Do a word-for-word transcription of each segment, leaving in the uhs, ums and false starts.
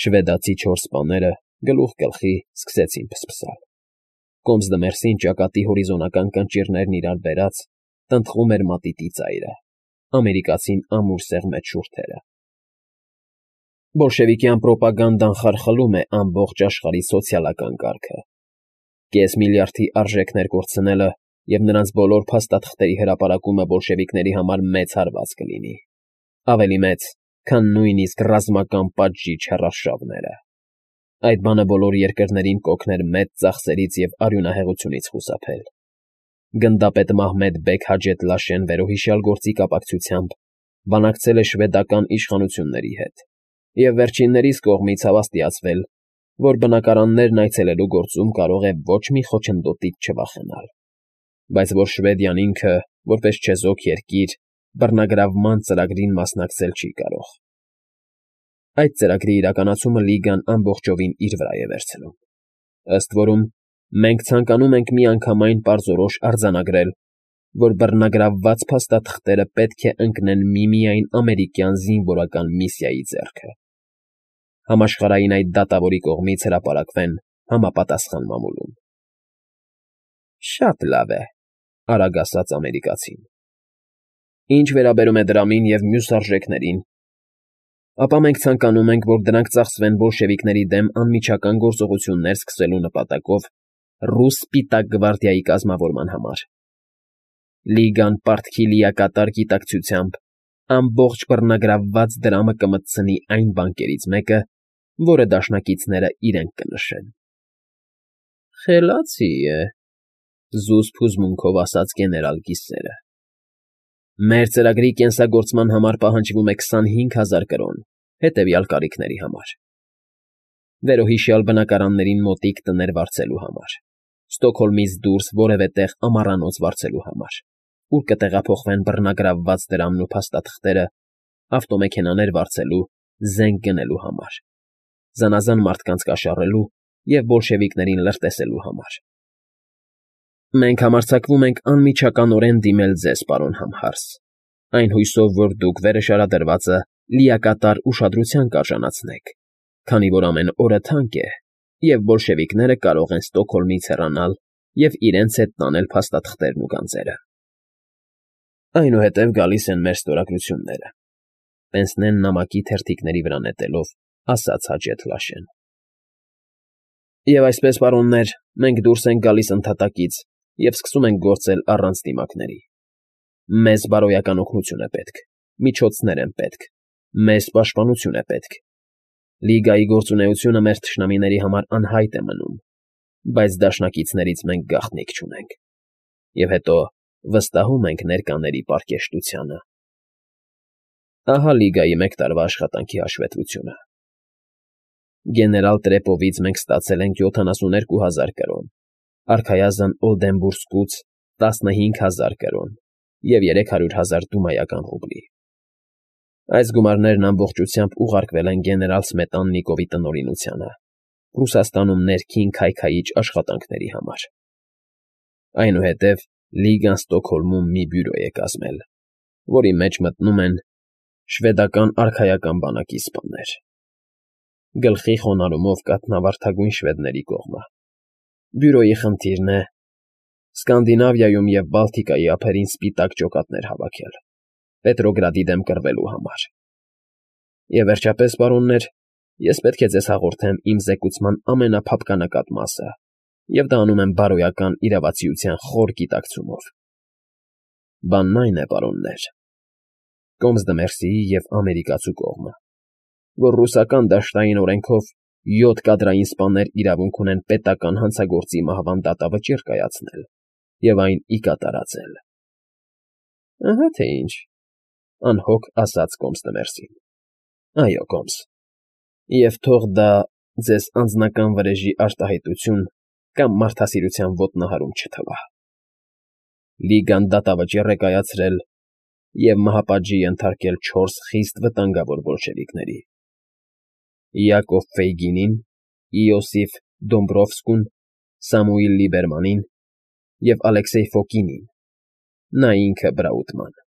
Շվեդացի չորս սպաները գլուխ գլխի սկսեցին փսփսալ։ Կոմսդը Մերսին ճակատի հորիզոնական կնճիռներն իրար բերած տնտղում էր մատիտի ծայրը, ամերիկացին ամուր սեղմեց շուրթերը։ Բոլշևիկյան պրոպագանդան խարխլում է ամբողջ աշխարհի սոցիալական կարգը։ Կես միլիարդի արժեքներ կորցնելը և նրանց բոլոր փաստաթղթերի հրապարակումը բոլշևիկների համար մեծ հարված կլինի, ավելի մեծ, քան նույնիսկ ռազմական պատժիչ հեռարշավները։ Այդ բանը բոլոր երկրներին կօգներ մեծ ծախսերից և արյունահեղությունից խուսափել։ Գնդապետ Մահմեդ բեգ Հաջեթ Լաշեն վերոհիշյալ գործի կապակցությամբ բանակցել է շվեդական իշխանությունների հետ և վերջիններիս կողմից հավաստիացվել, որ բնակարաններն այցելելու գործում կարող է ոչ մի խոչընդոտից չվախենալ, բայց որ Շվեդիան ինքը, որպես չեզոք երկիր, բռնագրավման ծրագրին մասնակցել չի կարող։ Այդ ծրագրի իրականացումը Լիգան ամբողջովին իր վրա է վերցնում։ Ըստ որում, մենք ցանկանում ենք միանգամայն պարզորոշ արձանագրել, որ բռնագրավված փաստաթղթերը պետք է ընկնեն միմիայն ամերիկյան զինվորական միսիայի ձեռքը։ Համաշխարհային այդ դատավորի կողմից հրապարակվեն համապատասխան մամուլում։ Շատ լավ է, արագ ասաց ամերիկացին։ Ինչ վերաբերում է դրամին և մյուս արժեքներին, ապա մենք ցանկանում ենք, որ դրանք ծախսվեն բոլշևիկների դեմ անմիջական գործողություններ սկսելու նպատակով ռուս Սպիտակ գվարդիայի կազմավորման համար։ Լիգան պարտքի լիակատար գիտակցությամբ ամբողջ բռնագրավված դրամը կմտցնի այն բանկերից մեկը, որը դաշնակիցները իրենք կնշեն։ Խելացի է, զուսպ հուզմունքով ասաց գեներալ Գիսերը։ Մեր ծրագրի կենսագործման համար պահանջվում է քսանհինգ հազար կրոն, հետևյալ կարիքների համար. վերոհիշյալ բնակարաններին մոտիկ տներ վարձելու համար, Ստոկհոլմից դուրս որևէ տեղ ամառանոց վարձելու համար, ուր կտեղափոխվեն բռնագրավված դրամն ու փաստաթղթերը, ավտոմեքենաներ վարձելու, զենք գնելու համար, զանազան մարդկանց կաշառելու և բոլշևիկներին լրտեսելու համար։ Մենք համարձակվում ենք անմիջականորեն դիմել ձեզ, պարոն Համհարս, այն հույսով, որ դուք վերշարադրվածը լիակատար ուշադրության կարժանացնեք, քանի որ ամեն օրը թանկ է, և բոլշևիկները կարող են Ստոկհոլմից հեռանալ և իրենց հետ տանել փաստաթղթերն ու գանձերը։ Այնուհետև գալիս են մեր ստորագրությունները, պենսնեն նամակի թերթիկների վրա նետելով, ասաց Հաջեթ Լաշեն։ Եվ այսպես, պարոններ, մենք դուրս ենք գալիս ընդհատակից և սկսում ենք գործել առանց դիմակների։ Մեզ բարոյական օգնություն է պետք, միջոցներ են պետք, մեզ պաշտպանություն է պետք։ Լիգայի գործունեությունը մեր թշնամիների համար անհայտ է մնում, բայց դաշնակիցներից մենք գաղտնիք չունենք։ Եվ հետո վստահում ենք ներկաների պարկեշտությանը։ Ահա Լիգայի մեկ տարվա աշխատանքի հաշվետվությունը։ Գեներալ Տրեպովից մենք ստացել ենք յոթանասունութ հազար կրոն, արքայազն Օլդենբուրգսկուց տասնհինգ հազար կրոն և երեք հարյուր հազար դումայական ռուբլի։ Այս գումարներն ամբողջությամբ ուղարկվել են գեներալ Սմետաննիկովի տնօրինությանը, Ռուսաստանում ներքին քայքայիչ աշխատանքների համար։ Այնուհետև Լիգան Ստոկհոլմում մի բյուրո է կազմել, որի մեջ մտնում են շվեդական արքայական բանակի սպաներ։ Գլխի խոնարհումով կաթնավարդագույն շվեդների կողմը։ Բյուրոյի խնդիրն է Սկանդինավիայում և Բալտիկայի ափերին սպիտակ ջոկատներ հավաքել, Պետրոգրադի դեմ կռվելու համար։ Եվ վերջապես, պարոններ, ես պետք է ձեզ հաղորդեմ իմ զեկուցման ամենափափկանակատ մասը, և դա անում եմ բարոյական իրավացիության խոր գիտակցումով։ Բանն այն է, պարոններ, Կոմսդը Մերսիի և ամերիկացու կողմը, որ ռուսական դաշտային օրենքով յոթ կադրային սպաներ իրավունք ունեն պետական հանցագործի մահվան դատավճիռ կայացնել և այն ի կատարածել։ Ահա թե ինչ, անհոգ ասաց Կոմսը Մերսին։ Այո, Կոմս, և թող դա ձեզ անձնական վրեժի արտահայտություն կամ մարդասիրության ոտնահարում չթվա։ Լիգան դատավճիռ է կայացրել և մահապատժի ենթարկել չորս խիստ վտանգավոր բոլշևիկների. Յակով Ֆեյգինին, Իոսիֆ Դոմբրովսկուն, Սամուիլ Լիբերմանին և Ալեքսեյ Ֆոկինին, նա ինքը Բրաուտման։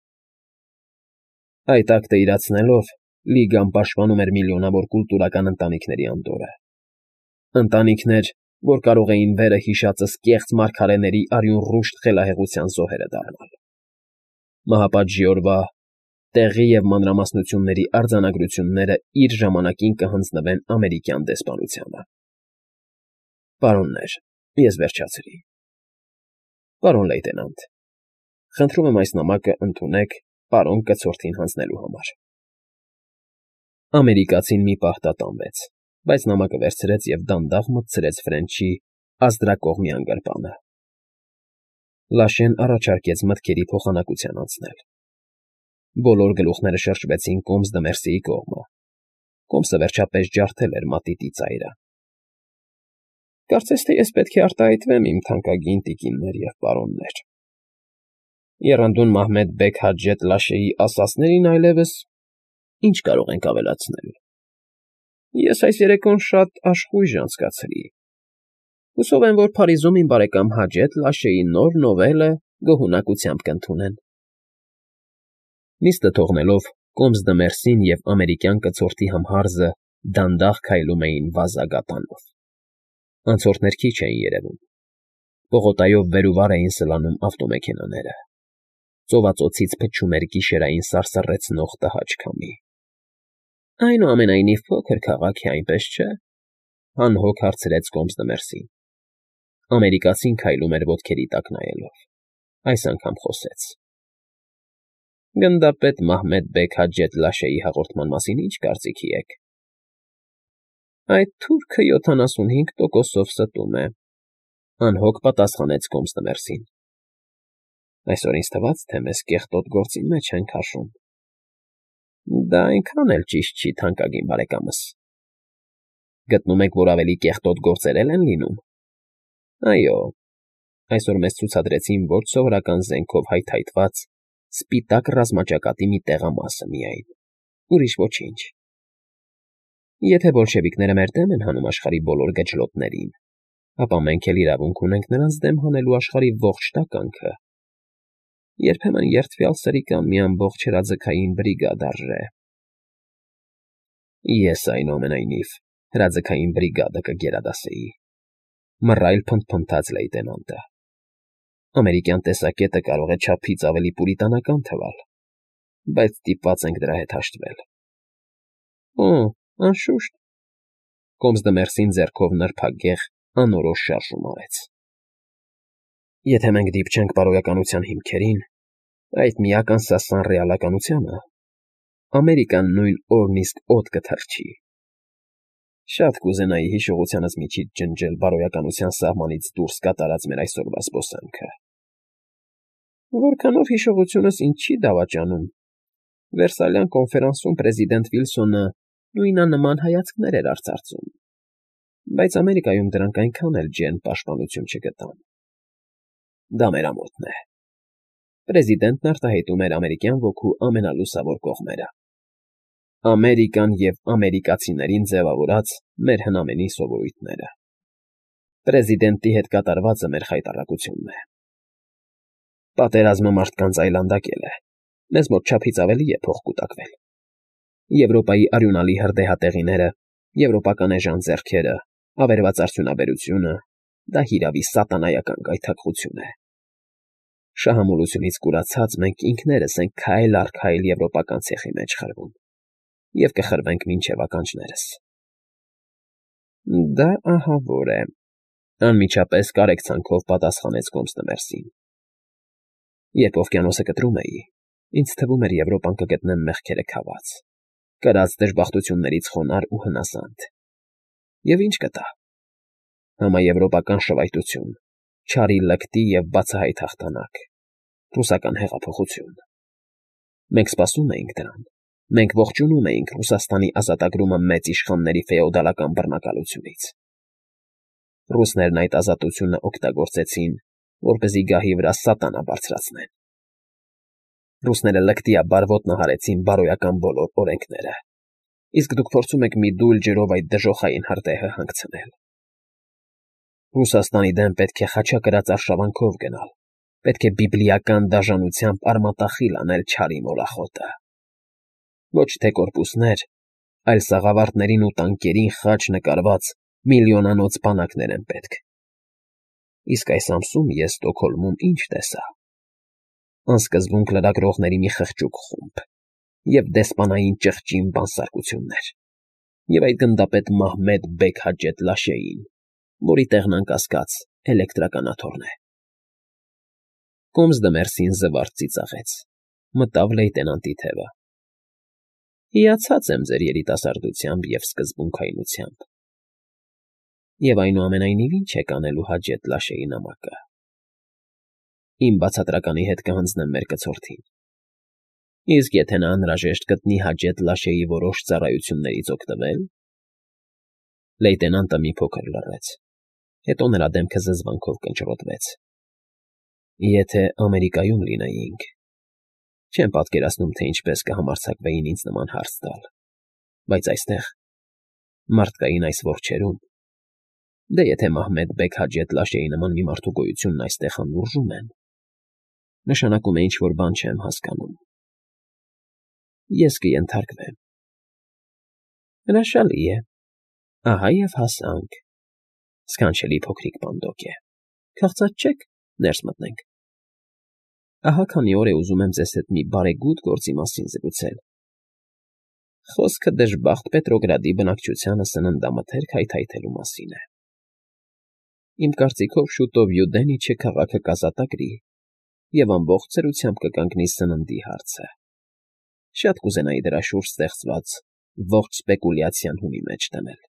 Այդ ակտը իրացնելով՝ Լիգան պաշտպանում էր միլիոնավոր կուլտուրական ընտանիքների անդորրը, ընտանիքներ, որ կարող էին վերը հիշածս կեղծ մարգարեների արյունռուշտ խելահեղության զոհերը դառնալ։ Մահապատժի օրվա տեղի և մանրամասնությունների արձանագրությունները իր ժամանակին կհանձնվեն ամերիկյան դեսպանությանը։ Պարոններ, ես վերջացրի։ Պարոն լեյտենանտ, խնդրում եմ այս նամակը ընդունեք պարոն կցորդին հանձնելու համար։ Ամերիկացին մի պահ տատանվեց, բայց նամակը վերցրեց և դանդաղ մտցրեց Ֆրենչի ազդրակողմյան գրպանը։ Լաշեն առաջարկեց մտքերի փոխանակության անցնել։ Բոլոր գլուխները շրջվեցին կոմս դմերսիի կողմը։ Կոմսը վերջապես ջարդել էր մատիտի ծայրը։ Կարծես թե ես պետք է արտահայտվեմ, իմ թանկագին տիկիններ և պարոններ։ Եռանդուն Մահմեդ֊բեգ Հաջեթ Լաշեի ասածներին այլևս ինչ կարող ենք ավելացնել։ Ես այս երեկոն շատ աշխույժ անցկացրի։ Հուսով եմ, որ Փարիզում իմ բարեկամ Հաջեթ Լաշեի նոր նովելը գոհունակությամբ կընդունեն։ Նիստը թողնելով, կոմս դմերսին և ամերիկյան կցորդի համհարզը դանդաղ քայլում էին վազագատանով։ Անցորդներ քիչ էին երևում։ Պողոտայով վեր ու վար էին սլանում ավտոմեքենաները։ Ծովածոցից փչում էր գիշերային սարսռեցնող տհաճ քամի։ Այնուամենայնիվ փոքր քաղաք է, այնպես չէ՞, անհոգ հարցրեց կոմս դմերսին։ Ամերիկացին քայլում էր ոտքերի տակ նայելով։ Այս անգամ խոսեց. Գնդապետ Մահմեդ֊բեգ Հաջեթ Լաշեի հաղորդման մասին ի՞նչ կարծիքի եք։ Այդ թուրքը յոթանասունհինգ տոկոսով ստում է, անհոգ պատասխանեց կոմս դմերսին։ Այսօր ինձ թվաց, թե մեզ կեղտոտ գործի մեջ են քաշում։ Դա այնքան էլ ճիշտ չի, թանկագին բարեկամս։ Գտնում եք, որ ավելի կեղտոտ գործեր են լինում։ Այո, այսօր մեզ ցուցադրեցին ոչ սովորական զենքով հայթայթված սպիտակ ռազմաճակատի մի տեղամասը միայն, ուրիշ ոչինչ։ Եթե բոլշևիկները մեր դեմ են հանում աշխարհի բոլոր գջլոտներին, ապա մենք էլ իրավունք ունենք նրանց դեմ հանելու աշխարհի ողջ տականքը։ Երբեմն երդվյալ սրիկան մի ամբողջ հրաձգային բրիգադ արժե։ Ես, այնուամենայնիվ, հրաձգային բրիգադը կգերադասեի, մռայլ փնթփնթաց լեյտենանտը։ Ամերիկյան տեսակետը կարող է չափից ավելի պուրիտանական թվալ, բայց ստիպված ենք դրա հետ հաշտվել։ Օ, անշուշտ, կոմս դմերսին ձեռքով նրբագեղ անորոշ շարժում արեց։ Եթե մենք դիպչենք բարոյականության հիմքերին, այդ միակ անսասան ռեալականությանը, Ամերիկան նույն օրն իսկ օդ կթռչի։ Շատ կուզենայի հիշողությանս միջից ջնջել բարոյականության սահմանից դուրս կատարած մեր այսօրվա զբոսանքը։ Որքանով հիշողությունս ինձ չի դավաճանում, Վերսալյան կոնֆերանսում պրեզիդենտ Վիլսոնը նույնանման հայացքներ էր արծարծում, բայց Ամերիկայում դրանք այնքան էլ ջերմ պաշտպանություն չգտան։ Դա մեր ամոթն է։ Պրեզիդենտն արտահայտում էր ամերիկյան ոգու ամենալուսավոր կողմերը։ Ամերիկան և ամերիկացիներին ձևավորած մեր հնամենի սովորույթները։ Պրեզիդենտի հետ կատարվածը մեր խայտառակությունն է։ Պատերազմը մարդկանց այլանդակել է, մեզ մոտ չափից ավելի է փող կուտակվել։ Եվրոպայի արյունալի հրդեհատեղիները, եվրոպական էժան ձեռքերը, ավերված արդյունաբերությունը, դա հիրավի սատանայական գայթակղություն է։ Շահամոլությունից կուրացած մենք ինքներս ենք քայլ առ քայլ եվրոպական ցեխի մեջ խրվում և կխրվենք մինչև ականջներս։ Դա ահավոր է, անմիջապես կարեկցանքով պատասխանեց կոմս դմերսին։ Երբ օվկիանոսը կտրում էի, ինձ թվում էր Եվրոպան կգտնեմ մեղքերը քաված, կրած դժբախտություններից խոնարհ ու հնասանդ։ Եվ ինչ կտա։ Համաեվրոպական շվայտություն, չարի լկտի և բացահայտ հաղթանակ, ռուսական հեղափոխություն։ Մենք սպասում էինք դրան, մենք ողջունում էինք Ռուսաստանի ազատագրումը մեծ իշխանների ֆեոդալական բռնակալությունից։ Ռուսներն այդ ազատությունը օգտագործեցին, որպեսզի գահի վրա սատանա բարձրացնեն։ Ռուսները լկտիաբար ոտնահարեցին բարոյական բոլոր օրենքները, իսկ դուք փորձում եք մի դույլ ջրով այդ դժոխային հրդեհը հանգցնել։ Ռուսաստանի դեմ պետք է խաչակրած արշավանքով գնալ, պետք է բիբլիական դաժանությամբ արմատախիլ անել չարի մոլախոտը։ Ոչ թե կորպուսներ, այլ սաղավարտներին ու տանկերին խաչ նկարված միլիոնանոց բանակներ են պետք։ Իսկ այս ամսում ես Ստոկհոլմում ինչ տեսա… Անսկզբունք լրագրողների մի խղճուկ խումբ և դեսպանային ճղճին բանսարկություններ, և այդ գնդապետ Մահմեդ բեգ Հաջեթ Լաշեին, որի տեղն անկասկած էլեկտրականաթոռն է… Կոմսդը Մերսին զվարթ ծիծաղեց, մտավ լեյտենանտի թևը։ Հիացած եմ ձեր երիտասարդությամբ և սկզբունքայնությամբ… Եվ այնուամենայնիվ ինչ եք անելու Հաջեթ Լաշեի նամակը… Իմ բացատրականի հետ կհանձնեմ մեր կցորդին, իսկ եթե նա անհրաժեշտ գտնի Հաջեթ Լաշեի որոշ ծառայություններից օգտվել… Լեյտենանտը մի փոքր լռեց, հետո նրա դեմքը զզվանքով կնճռոտվեց։ Եթե Ամերիկայում լինեինք… Չեմ պատկերացնում, թե ինչպես կհամարձակվեին ինձ նման հարց տալ, բայց այստեղ, մարդկային այս որջերում… Դե եթե Մահմեդ բեգ Հաջեթ Լաշեի նման մի մարդու գոյությունն այստեղ անուրջում են… Նշանակում է ինչ֊որ բան չեմ հասկանում… Ես կենթարկվեմ… Հրաշալի է… Ահա և հասանք… Սքանչելի փոքրիկ պանդոկ է… Քաղցած չե՞ք, ներս մտնենք… Ահա քանի օր է ուզում եմ ձեզ հետ մի բարեգութ գործի մասին զրուցել… Խոսքը դժբախտ Պետրոգրադի բնակչությանը սննդամթերք հայթայթելու մասին է… Իմ կարծիքով շուտով Վյուդենիչը քաղաքը կազատագրի և ամբողջ ծերությամբ կկանգնի սննդի հարցը… Շատ կուզենայի դրա շուրջ ստեղծված ողջ սպեկուլյացիան հունի մեջ դնել…